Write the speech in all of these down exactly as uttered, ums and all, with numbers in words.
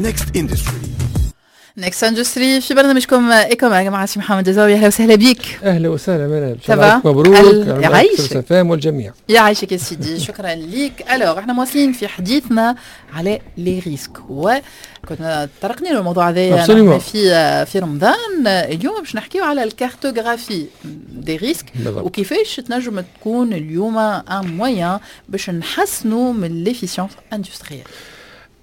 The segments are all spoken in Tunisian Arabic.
Next Industry. Next Industry في برنامجكم Ecomag مع سي محمد الزاوي. اهلا وسهلا بك. اهلا وسهلا منال. ça va؟ مبروك. يعيشك. فام والجميع. يعيشك يا سيدي، شكرا ليك. alors احنا مواصلين في حديثنا على les risques، وكنا تطرقنا للموضوع هذايا في في رمضان. اليوم باش نحكيو على ال cartographie des risques وكيفاش تنجم تكون اليوم un moyen باش نحسنوا من l'efficience industrielle.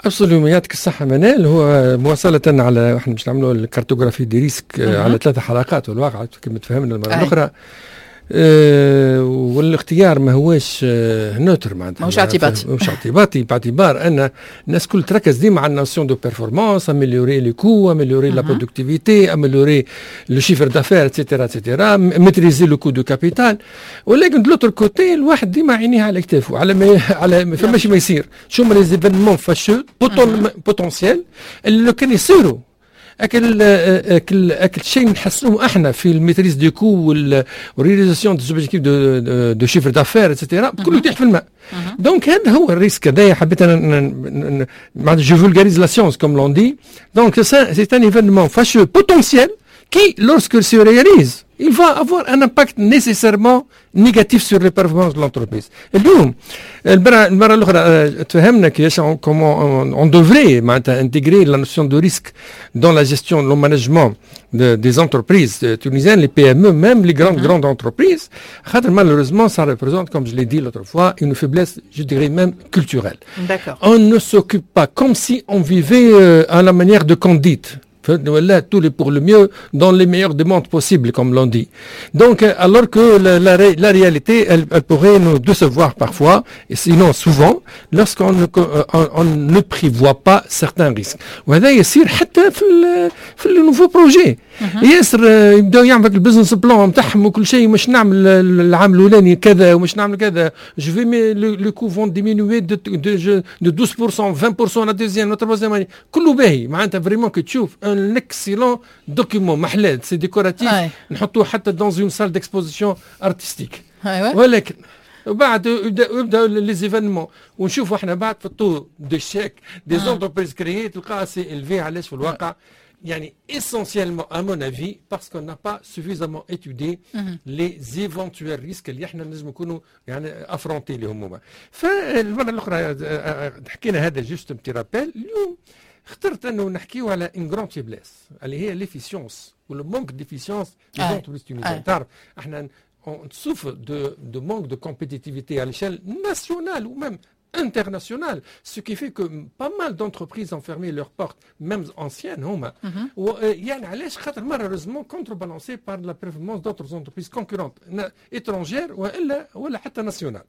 absolument، يعطيك الصحة منال. هو مواصلة على احنا باش نعملوا ال cartographie des risques على ثلاثة حلقات والواقع كما تفهمنا المرة الأخرى. أه والاختيار ما هوش آه neutre معناتها. ماهوش اعتباطي. ماهوش اعتباطي، باعتبار ان الناس كل تركز ديما على ال notion de performance، améliorer les coûts، améliorer la productivité، améliorer le chiffre d'affaires، et cetera et cetera، maîtriser le coût de capital. ولكن de l'autre côté الواحد ديما عينيه على كتافه، على ما على ما فماش ما يصير، شو هما les événements fâcheux potentiels اللي لو كان يصيروا اكل اكل اكل شيء نحسنوه احنا في ال maîtrise des coûts وال réalisation des objectifs de de chiffre d'affaires et cetera، كله يطيح في الماء. donc هذا هو ال risque هذايا. حبيت انا معناتها je vulgarise la science comme l'on dit. donc c'est un événement fâcheux potentiel qui, lorsqu'il se réalise, il va avoir un impact nécessairement négatif sur les performances de l'entreprise. اليوم المرة المرة الأخرى تفهمنا كيفاش comment on devrait معناتها intégrer la notion de risque dans la gestion, le management de, des entreprises tunisiennes, les P M E, même les grandes, grandes entreprises. خاطر malheureusement, ça représente, comme je l'ai dit l'autre fois, une faiblesse, je dirais même culturelle. On ne s'occupe pas comme si on vivait à la manière de Candide. Là, tout est pour le mieux dans les meilleurs des mondes possibles, comme l'on dit. Donc, alors que la, la, la réalité, elle, elle, pourrait nous décevoir parfois, et sinon souvent, lorsqu'on ne, on, on ne prévoit pas certains risques. وهذا يصير حتى في ال في ال nouveaux projets. ياسر يبداو يعمل ال business plan نتاعهم وكل شيء، مش نعمل العام الاولاني كذا ومش نعمل كذا، je vais mes les coûts vont diminuer de de douze pour cent، vingt pour cent la deuxième، la troisième. كله باهي معناتها، vraiment كي تشوف un excellent document، محلات، c'est décoratif، نحطوه حتى dans une salle d'exposition artistique. ولكن وبعد يبدا les événements ونشوفوا احنا بعد في ال taux d'échec des entreprises créées تلقاها c'est élevé. علاش؟ في الواقع يعني essentiellement à mon avis parce qu'on n'a pas suffisamment étudié mm -hmm. les éventuels risques اللي احنا لازم نكونوا يعني affrontés لهم هما. فالمره الاخرى حكينا هذا juste petit rappel. اليوم اخترت انه نحكيو على une grande faiblesse اللي هي l'efficience ولا manque d'efficience des entreprises tunisiennes. تعرف احنا on souffre de, de manque de compétitivité à l'échelle nationale ou même internationale, ce qui fait que pas mal d'entreprises ont fermé leurs portes, même anciennes هما. يعني علاش؟ خاطر malheureusement contrebalancé par la performance d'autres entreprises concurrentes étrangères والا ولا حتى nationales.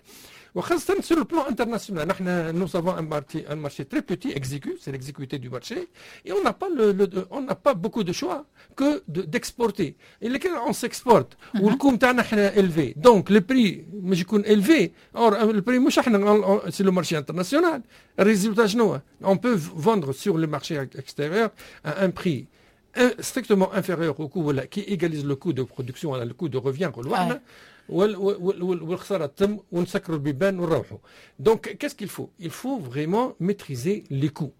وخاصة sur le plan international، نحن nous avons un marché, un marché très petit, exigu, c'est l'exiguïté du marché, et on n'a pas le, le on n'a pas beaucoup de choix que d'exporter. Et كان on s'exporte وال coût نتاعنا احنا élevé، donc le prix مش يكون élevé. or le prix مش احنا، c'est le marché international. ال résultat شنو؟ on peut vendre sur le marché extérieur à un prix strictement inférieur au coût ولا qui égalise le coût de production ولا le coût de revient نقولوا والخسارة تم ونسكروا البيبان ونروحوا. donc qu'est-ce qu'il faut؟ il faut vraiment maîtriser les coûts.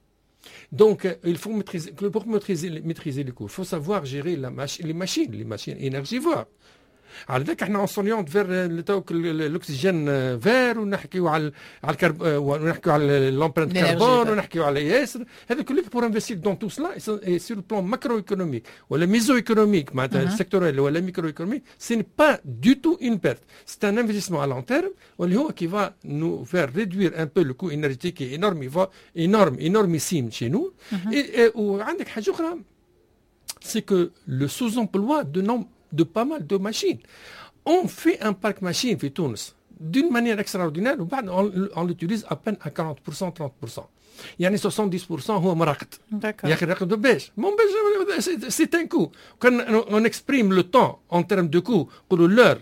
Donc, il faut maîtriser, pour maîtriser, maîtriser les coûts, il faut savoir gérer la mach les machines, les machines énergivores. على ذاك احنا on s'oriente vers l'oxygène vert ونحكيو على على ال carb ونحكيو على l'empreinte carbone ونحكيو على ياسر هذا كله pour investir dans tout cela sur le plan macroéconomique ولا mésoéconomique معناتها sectoriel ولا microéconomique، ce n'est pas du tout une perte، c'est un investissement à long terme واللي هو qui va nous faire réduire un peu le coût énergétique énorme énorme énormissime chez nous. وعندك حاجة اخرى، c'est que le sous-emploi de nombre de pas mal de machines. On fait un parc machine في تونس d'une manière extraordinaire وبعد on, on l'utilise à peine à quarante pour cent، trente pour cent، يعني soixante-dix pour cent هو مراقد. يا اخي راقد باش مون باش c'est un coût. كان on exprime le temps en termes de coût، نقولوا l'heure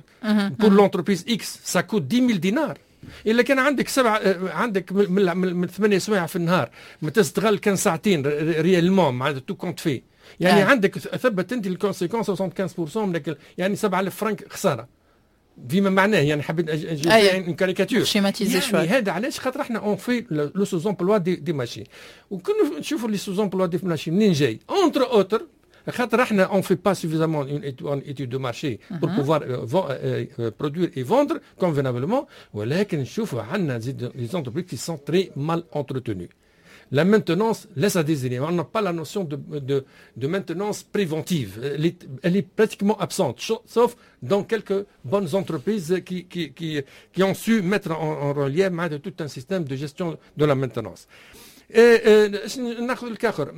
pour l'entreprise X ça coûte dix mille دينار. الا كان عندك سبعة، عندك من, من ثمانية سوايع في النهار ما تستغل كان ساعتين réellement معناتها tout compte fait، يعني آه. عندك ثبت انت ال conséquence soixante-quinze pour cent من يعني سبعة آلاف فرنك خساره. فيما معناه، يعني حبيت une caricature. schématiser. يعني هذا علاش؟ خاطر احنا on fait le sous-emploi des, des machines. وكنا نشوفوا les sous-emplois des machines منين جاي؟ entre autres خاطر احنا on fait pas suffisamment une étude de marché pour pouvoir produire et vendre convenablement. ولكن نشوفوا عندنا زيد les entreprises qui sont très mal entretenues. La maintenance laisse à désirer. On n'a pas la notion de, de, de maintenance préventive. Elle est, elle est pratiquement absente, sauf dans quelques bonnes entreprises qui, qui, qui, qui ont su mettre en, en relief tout un système de gestion de la maintenance. ناخذ الكاخر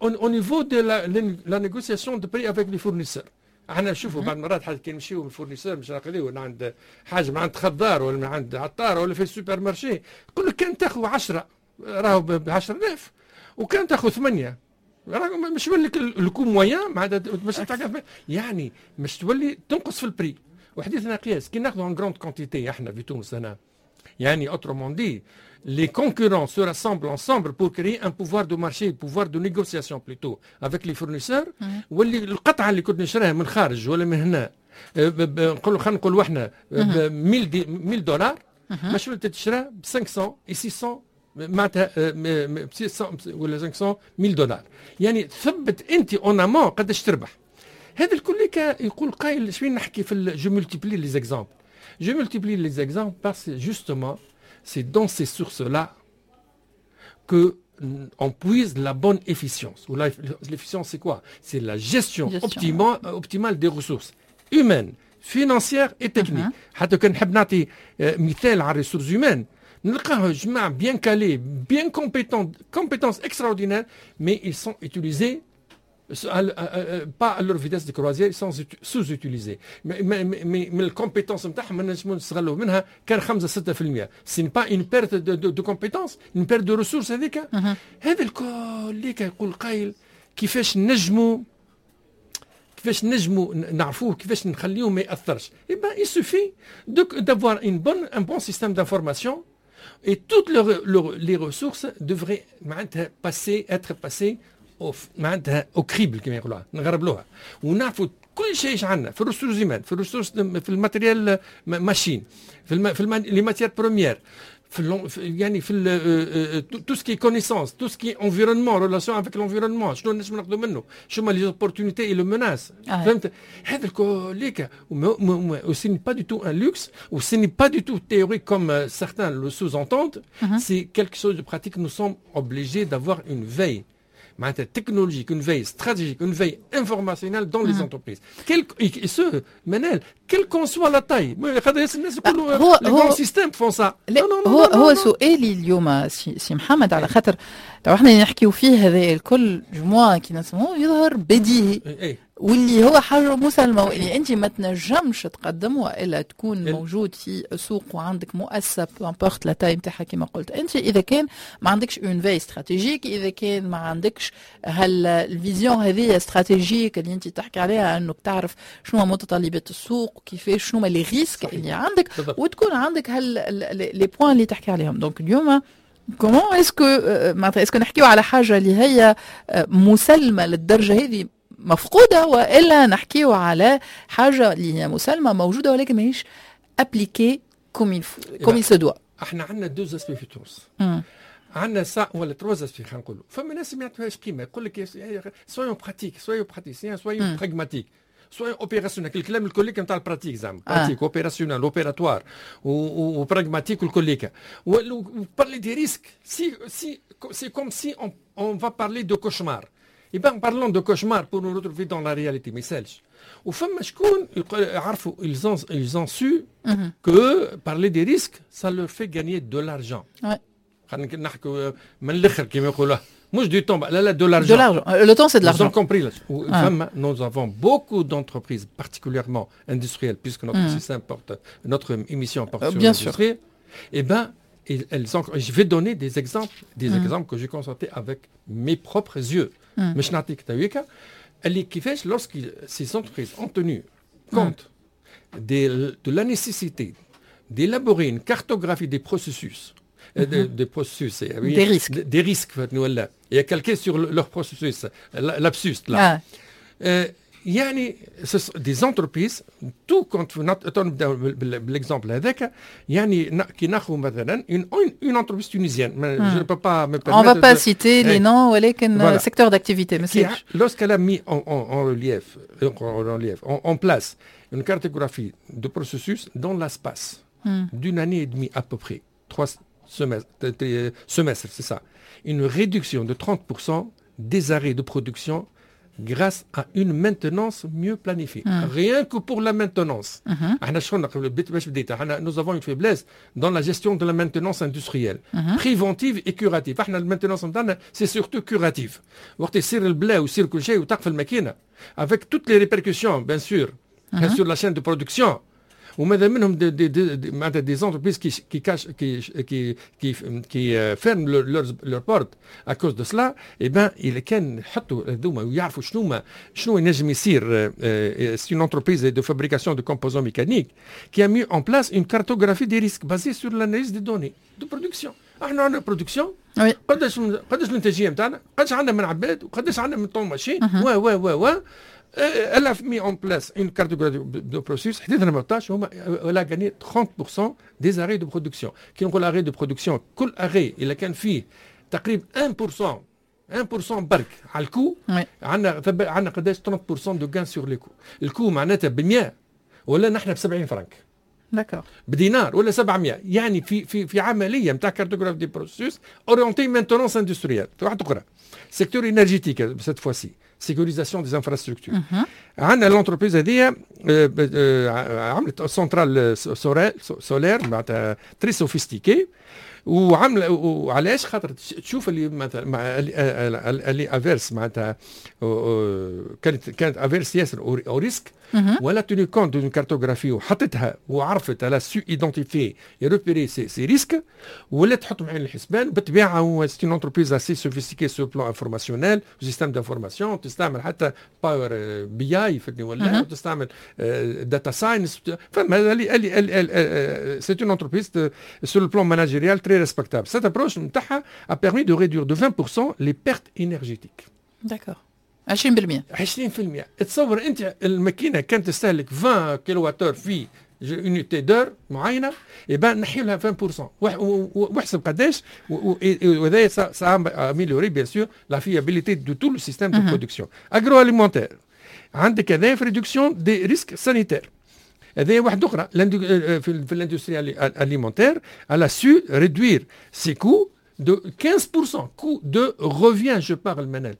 au niveau de la, la négociation de prix avec les fournisseurs. احنا نشوفوا بعض المرات حتى كي نمشيو من ال fournisseur مش ناخذوا من عند حاجه، من عند خضار ولا من عند عطار ولا في ال supermarché، يقول لك كان تاخذ عشرة راهو ب عشرة آلاف وكان تاخذ ثمانية راهو مش يولي لك ال coût moyen معناتها مش يعني مش تولي تنقص في ال prix. وحديثنا قياس كي ناخذوا en grande quantité احنا في تونس هنا، يعني autrement dit les concurrents se rassemblent ensemble pour créer un pouvoir de marché, pouvoir de négociation plutôt avec les fournisseurs. واللي القطعة اللي كنت نشريها من خارج ولا من هنا، نقولوا خلينا نقولوا احنا ألف ألف دولار، مش تشرى ب خمسمية ستمية، معناتها ستمية ولا خمسمية ألف دولار. يعني ثبت انت en amont قداش تربح. هذا الكل يقول قايل شوين نحكي في je multiplie les exemples، je multiplie les exemples parce que justement c'est dans ces sources-là que on puise la bonne efficience. L'efficience, c'est quoi؟ C'est la gestion, gestion. Optimale, optimale des ressources humaines, financières et techniques. حتى كان نحب نعطي مثال على ال ressources humaines، نلقاه جماعة bien calés, bien compétents, compétences extraordinaires, mais ils sont utilisés pas à leur vitesse de croisière, ils sont sous-utilisés. Mais, mais, mais, mais ال compétences نتاعهم ما نجمو نستغلوا منها كان خمسة ستة في المية. c'est pas une perte de, de, de compétences, une perte de ressources هذيك؟ هذا الكل اللي يقول قايل كيفاش نجموا كيفاش نجموا نعرفوه، كيفاش نخليوه ما ياثرش؟ eh ben il suffit d'avoir une bonne un bon système d'information et toutes les ressources devraient معناتها passer être passées معناتها au crible كما يقولوها، نغربلوها ونعرفوا كل شيء ايش عندنا في ال ressources humaines، في ال ressources، في ال matériel machine، في الم... في الم... les matières premières، في يعني في tout ce qui est connaissance, tout ce qui est environnement, relation avec l'environnement، شنو نجم ناخذوا منه، شنو les opportunités et les menaces، فهمت؟ هذا الكل و ce n'est pas du tout un luxe و ce n'est pas du tout théorique comme certains le sous-entendent, c'est quelque chose de pratique. nous sommes obligés d'avoir une veille معناتها technologique, une veille stratégique, une veille informationnelle dans les entreprises. Quel, et ce, منال, quelle qu'en soit la taille. الناس يقولوا هو les grands systèmes font ça. لا، هو هو سؤالي اليوم سي, سي محمد، على خاطر تو احنا نحكيو فيه هذا الكل جموع كي نسموه يظهر بديهي إيه. واللي هو حاجة مسلمة، واللي أنت ما تنجمش تقدم وإلا تكون موجود في سوق وعندك مؤسسة peu importe la taille نتاعها كما قلت أنت، إذا كان ما عندكش une veille stratégique، إذا كان ما عندكش هال ال vision هذه stratégique اللي أنت تحكي عليها، أنك تعرف شنو متطلبات السوق، كيفاش، شنو les risques اللي عندك، وتكون عندك هال les points اللي تحكي عليهم. donc اليوم comment est-ce que معناتها est-ce que نحكيو على حاجة اللي هي مسلمة للدرجة هذه مفقوده، والا نحكيو على حاجة اللي هي مسلمة موجودة ولكن ماهيش appliquée comme il comme il se doit؟ احنا عندنا deux aspects في تونس، عندنا سا ولا trois aspects خلينا نقولوا. فما ناس ما يعطوهاش قيمه، يقول لك soyons pratiques, soyons praticiens, soyons pragmatiques, soyons opérationnels، الكلام الكل نتاع ال pratique زعما pratique, opérationnel, opératoire و pragmatique والكل. parler des risques, si si c'est comme si on, on va parler de cauchemar. Et ben parlons de cauchemar pour nous retrouver dans la réalité، ما يسالش. وفما شكون عرفوا ils ont ils ont su que parler des risques ça leur fait gagner de l'argent. خلينا نحكوا من الاخر كما يقولوا، مش du temps، لا لا، de l'argent. De l'argent. Le temps, c'est de l'argent. Nous avons compris. Là. Ah. Nous avons beaucoup d'entreprises, particulièrement industrielles, puisque notre mm. système porte, notre émission porte euh, sur l'industrie. Eh ben, elles ont, je vais donner des exemples, des mm. exemples que j'ai constatés avec mes propres yeux. مش نعطيك تويكا اللي كيفاش lorsque ces entreprises ont tenu compte de, de la nécessité d'élaborer une cartographie des processus, des, des processus, oui, des risques, des, des risques, et calqué sur leur processus, lapsus là. Ah. Euh, يعني des entreprises tout compte، نبداو بال exemple هذاك، يعني كي ناخذ مثلا une une entreprise tunisienne، je ne peux pas me On va pas citer les noms، ولكن secteur d'activité. Lorsqu'elle a mis en, en, en relief, en relief, en, en place une cartographie de processus dans l'espace mm. d'une année et demie à peu près, trois semestres, semestres c'est ça, une réduction de trente pour cent des arrêts de production grâce à une maintenance mieux planifiée. Mm. Rien que pour la maintenance. احنا شغلنا باش بديت، احنا nous avons une faiblesse dans la gestion de la maintenance industrielle, mm -hmm. préventive et curative. احنا ال maintenance نتاعنا c'est surtout curative. وقت يصير البلا ويصير كل شيء وتقف الماكينه avec toutes les répercussions bien sûr mm -hmm. sur la chaîne de production، وماذا منهم des des des معناتها des entreprises qui qui cachent qui qui qui qui ferment leurs leurs portes à cause de cela. Eh ben اذا كان يحطوا هذوما ويعرفوا شنو ما شنو ينجم يصير. C'est une entreprise de fabrication de composants mécaniques qui a mis en place une cartographie des risques basée sur l'analyse des données de production. احنا عندنا production، قداش قداش الانتاجيه نتاعنا، قداش عندنا من عباد، وقداش عندنا من tonnes machines و و و و elle a mis en place une cartographie de processus. حديثنا ثمنطاش هما elle a gagné trente pour cent des arrêts de production. كي نقول arrêt de production، كل arrêt اذا كان فيه تقريبا واحد في المية، واحد في المية برك على ال coût، عندنا عندنا قداش؟ trente pour cent de gain sur les coûts. ال coût معناتها ب مية ولا نحن ب سبعين فرنك. D'accord. بدينار ولا سبعمية. يعني في في في عمليه نتاع cartographie des processus orientée maintenance industrielle. واحده اخرى، secteur énergétique cette fois-ci، sécurisation des infrastructures. عندنا l'entreprise هذه عملت centrale solaire معناتها très sophistiquée، وعمل وعلاش؟ خاطر تشوف اللي مثلا اللي averse معناتها كانت كانت averse ياسر au risque، و elle a tenu compte d'une cartographie وحطتها وعرفت، elle a su identifier et repérer ces ces risques، ولا تحطهم عين الحسبان. بالطبيعه هو c'est une entreprise assez sophistiquée sur plan informationnel، système d'information، تستعمل حتى Power B I فهمتني ولا تستعمل data science. فما اللي اللي c'est une entreprise sur le plan managérial très respectable. Cette approche نتاعها a permis de réduire de vingt pour cent les pertes énergétiques. D'accord. عشرين في المية. عشرين في المية. تصور انت الماكينه كانت تستهلك عشرين كيلو وات في unité d'heure معينه، يبقى نحي لها عشرين في المية واحسب قداش. وهذا ça a amélioré bien sûr la fiabilité de tout le système de production. Agroalimentaire، عندك هذا في réduction des risques sanitaires. هذه واحده اخرى في في l'industrie alimentaire، elle a su réduire ses coûts de quinze pour cent، coût de revient je parle منال.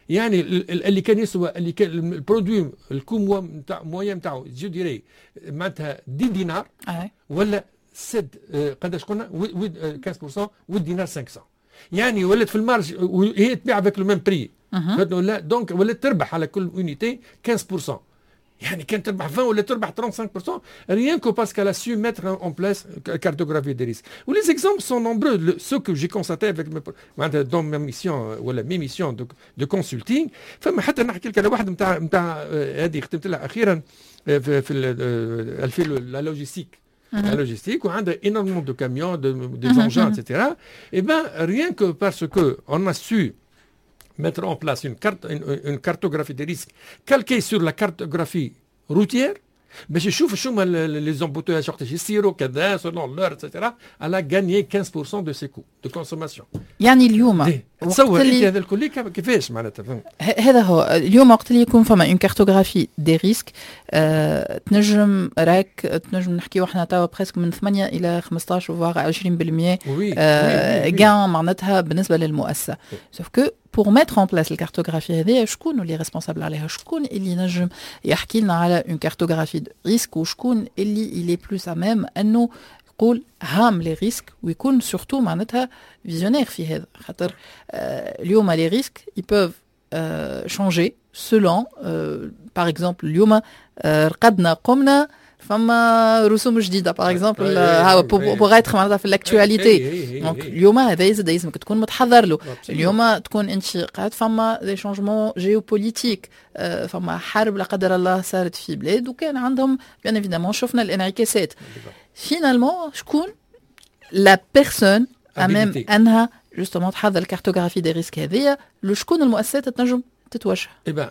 يعني اللي كان يسوى، اللي كان ال produit ال coût نتاع moyen نتاعو je dirais معناتها dix دينار ولا sept، قداش قلنا؟ خمسطاش في المية والدينار خمسمية، يعني ولات في ال marge وهي تبيع avec le même prix ولا donc ولات تربح على كل unité خمسطاش في المية. يعني كان تربح عشرين ولا تربح خمسة وثلاثين في المية rien que parce qu'elle a su mettre en place cartographie des risques. و les exemples sont nombreux. Le, ce que j'ai constaté avec mes, dans ma mission ولا mes missions de, de consulting، فما حتى نحكي لك على واحد نتاع نتاع هذه خدمت لها اخيرا في في في la logistique la logistique وعندها énormément de camions, de, des engins, et cetera. Et ben rien que parce que on a su mettre en place une, carte, une, une cartographie des risques calquée sur la cartographie routière باش يشوف شو هما les embouteillages وقتاش يصيروا كذا selon l'heure et cetera، elle a gagné quinze pour cent de ses coûts de consommation. يعني اليوم تصور انت هذا الكل كيفاش معناتها؟ هذا هو، اليوم وقت اللي يكون فما une cartographie des risques أه تنجم راك تنجم نحكيو احنا توا presque من ثمانية الى خمسطاش voire عشرين في المية آه gain معناتها بالنسبه للمؤسسه. Sauf que pour mettre en place ال cartographie هذه، شكون اللي responsable عليها؟ شكون اللي ينجم يحكي لنا على une cartographie de risques؟ وشكون اللي il est plus à même انه يقول هام les risques ويكون surtout معناتها visionnaire في هذا؟ خاطر آه اليوم les risques ils peuvent changer selon، par exemple اليوم آه رقدنا قمنا فما رسوم جديده par exemple، pour être معناتها في l'actualité. Donc اليوم هذا يزيد لازمك تكون متحضر له. اليوم تكون انت قاعد فما des changements géopolitiques، فما حرب لا قدر الله صارت في بلاد وكان عندهم bien évidemment شفنا الانعكاسات. Finalement شكون la personne à même انها justement تحضر ال cartographie des risques هذيا؟ لشكون المؤسسات تنجم تتوجه؟ Eh ben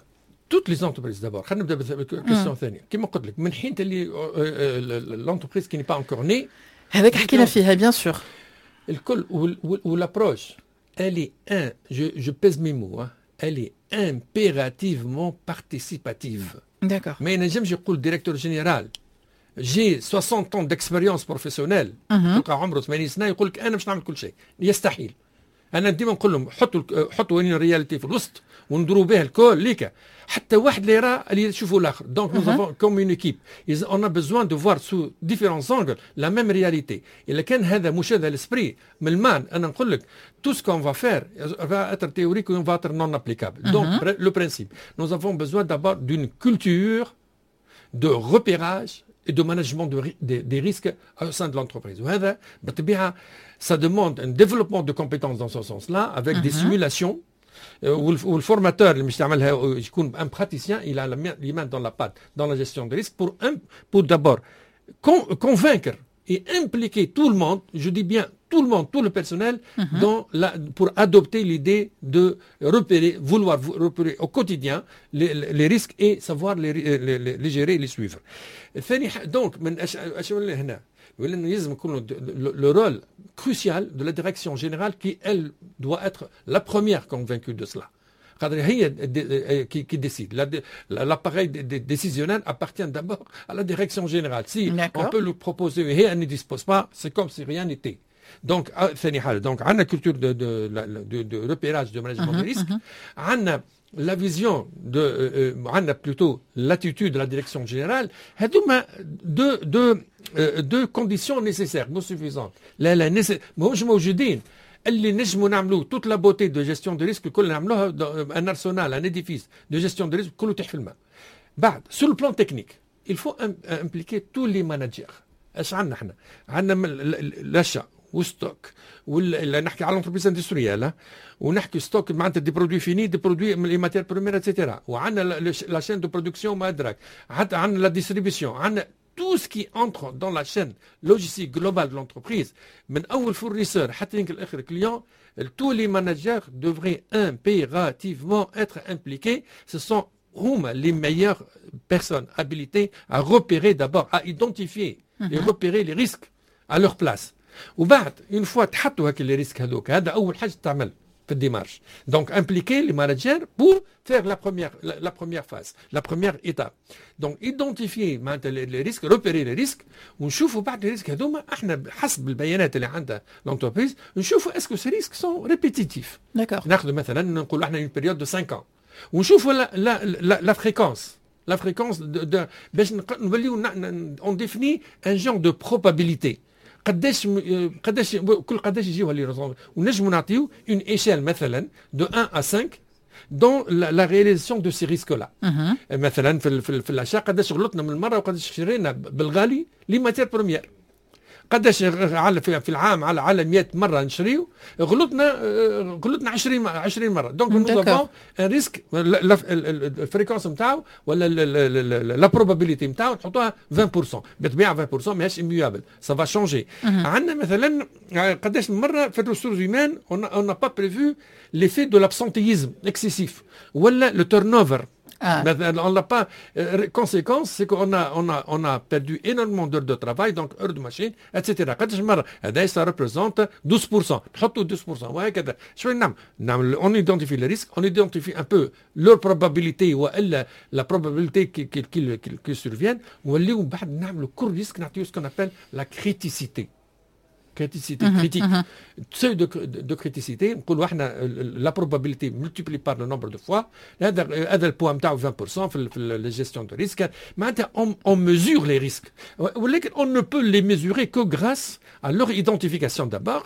Toutes les entreprises d'abord. خلينا نبدا بال question الثانيه. كما قلت لك، من حين اللي l'entreprise qui n'est pas encore née. هذاك حكينا فيها، bien sûr. الكل، و l'approche elle est un je, je pèse mes mots hein, elle est impérativement participative. D'accord. ما ينجمش يقول directeur général j'ai soixante ans d'expérience professionnelle، تلقى عمره ثمانين سنه يقول لك انا باش نعمل كل شيء، يستحيل. انا ديما نقول لهم حطوا حطوا une réalité في الوسط وندوروا بها الكل ليك، حتى واحد لا يرى اللي يشوفوا الاخر. Donc nous avons comme une équipe, on a besoin de voir sous différents angles la même réalité. اذا كان هذا مش هذا l'esprit من المان، انا نقول لك tout ce qu'on va faire va être théorique ou va être non applicable. Donc le principe, nous avons besoin d'abord d'une culture de repérage et de management de, des, des risques au sein de l'entreprise. وهذا بالطبيعة ça demande un développement de compétences dans ce sens-là avec des simulations وال formateur اللي مش يعملها يكون un praticien, il a les mains dans la pâte dans la gestion de risque pour un, pour d'abord convaincre et impliquer tout le monde, je dis bien tout le monde, tout le personnel, mm -hmm. dans la, pour adopter l'idée de repérer, vouloir repérer au quotidien les, les risques et savoir les, les, les gérer et les suivre. ثاني، donc من اش اش هنا ولانه يلزم يكون le rôle crucial de la direction générale qui, elle, doit être la première convaincue de cela. خاطر هي qui, qui décide. L'appareil décisionnel appartient d'abord à la direction générale. Si on peut lui proposer et elle ne dispose pas, c'est comme si rien n'était. Donc, ثاني حاجة، donc عندنا culture de, de, de, de repérage, de management des risques. عندنا la vision de عندنا plutôt l'attitude de la direction générale. هذوما deux deux deux conditions nécessaires, non suffisantes. لا لا، ماهوش موجودين اللي نجموا نعملوه toute la beauté de gestion de risque الكل نعملوها، un arsenal, un édifice de gestion de risque، كله تحت في الماء. بعد، sur le plan technique, il faut impliquer tous les managers. اش عندنا احنا؟ عندنا l'achat و stock، ولا نحكي على l'entreprise industrielle ونحكي stock معناتها des produits finis, des produits, les matières premières, et cetera، وعندنا la chaîne de production ما ادراك، حتى عندنا la distribution، عندنا tout ce qui entre dans la chaîne logistique globale de l'entreprise، من اول fournisseur حتى يمكن اخر client, tous les managers devraient impérativement être impliqués. Ce sont هما les meilleures personnes habilitées à repérer d'abord, à identifier et repérer les risques à leur place. وبعد، une fois تحطوا هاك les risques هذوك، هذا اول حاجه تعمل في ال démarche, donc impliquer les managers pour faire la première la première phase, la première étape, donc identifier معناتها les risques, repérer les risques، ونشوفوا بعد les risques هذوما احنا حسب البيانات اللي عندها l'entreprise، نشوفوا est-ce que ces risques sont répétitifs. D'accord. ناخذ مثلا، نقولوا احنا une période de cinq ans، ونشوفوا la la la, la fréquence la fréquence de باش نوليو on définit un genre de probabilité، قداش قداش كل قداش يجيو les، ونجموا نعطيو une échelle مثلا de un à cinq dans la, la réalisation de ces risques-là. مثلا في في, في l'achat، قداش غلطنا من المره وقداش شرينا بالغالي les matières premières، قداش على في, في العام على على مية مره نشريو غلطنا غلطنا عشرين عشرين مره. Donc nous avons un risque, ال fréquence نتاعو ولا la probabilité نتاعو نحطوها عشرين في المية. بالطبيعه عشرين في المية ماهيش immuable, ça va changer. عندنا مثلا قداش من مره في ال ressources humaines on n'a pas prévu l'effet de l'absentéisme excessif ولا le turnover. Ah. On l'a pas. Euh, conséquence, c'est qu'on a, on a, on a perdu énormément d'heures de travail, donc heures de machine, et cetera قداش مرة هذا ça représente douze pour cent، نحطوا douze pour cent وهكذا. شو نعمل؟ نعمل on identifie les risques, on identifie un peu leur probabilité والا la probabilité qu'ils qu'ils qu'ils surviennent، ونوليو بعد نعملوا كل risque نعطيو ce qu'on appelle la criticité criticité critique, seuil de, de, de criticité. نقولوا احنا la probabilité multipliée par le nombre de fois. هذا هذا ال poids نتاعو عشرين في المية في في la gestion de risque. معناتها on, on mesure les risques، ولكن on ne peut les mesurer que grâce à leur identification d'abord,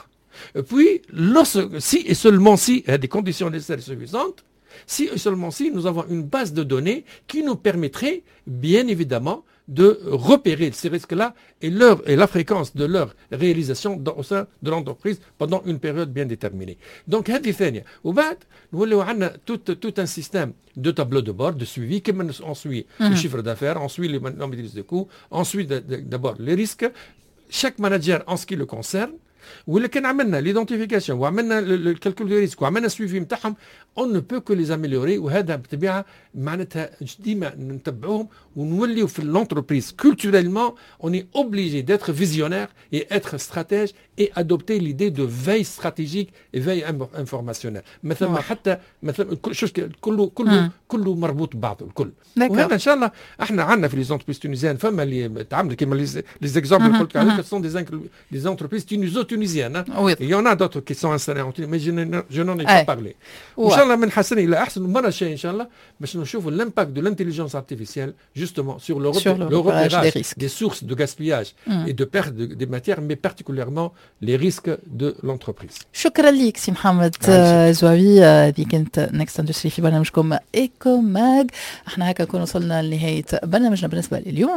puis lorsque, si et seulement si il y a des conditions nécessaires et suffisantes, si et seulement si nous avons une base de données qui nous permettrait bien évidemment de repérer ces risques-là et, leur, et la fréquence de leur réalisation dans, au sein de l'entreprise pendant une période bien déterminée. Donc هذه ثانية. وبعد نوليو عندنا tout, tout un système de tableau de bord, de suivi, كما on suit le chiffre d'affaires, on suit les maîtrises de coûts, on suit d'abord les risques. Chaque manager en ce qui le concerne ولا كان عملنا l'identification وعملنا ال calcul de risque وعملنا suivi نتاعهم، on ne peut que les améliorer. وهذا بالطبيعة معناتها ديما نتبعوهم ونوليو في l'entreprise culturellement on est obligé d'être visionnaire et être stratège et adopter l'idée de veille stratégique et veille informationnelle. مثلا حتى مثلا شو كله كله كله مربوط ببعضه الكل. وهذا ان شاء الله احنا عندنا في les entreprises tunisiennes فما اللي تعمل كيما les exemples اللي قلت عليك sont des des entreprises tuniso-tunisiennes. Il y en a d'autres qui sont installées en Tunisie، mais je, je n'en ai pas parlé. وان شاء الله من حسن الى احسن. المرة الجاية ان شاء الله باش نشوفوا l'impact de l'intelligence artificielle justement sur le, sur le, le repérage des, des sources de gaspillage mm. et de perte de, des matières، mais particulièrement les risques de l'entreprise. شكرا لك سي محمد زواوي. هذه كانت Next Industrie في برنامجكم Eco Mag. احنا هكا نكون وصلنا لنهاية برنامجنا بالنسبة لليوم.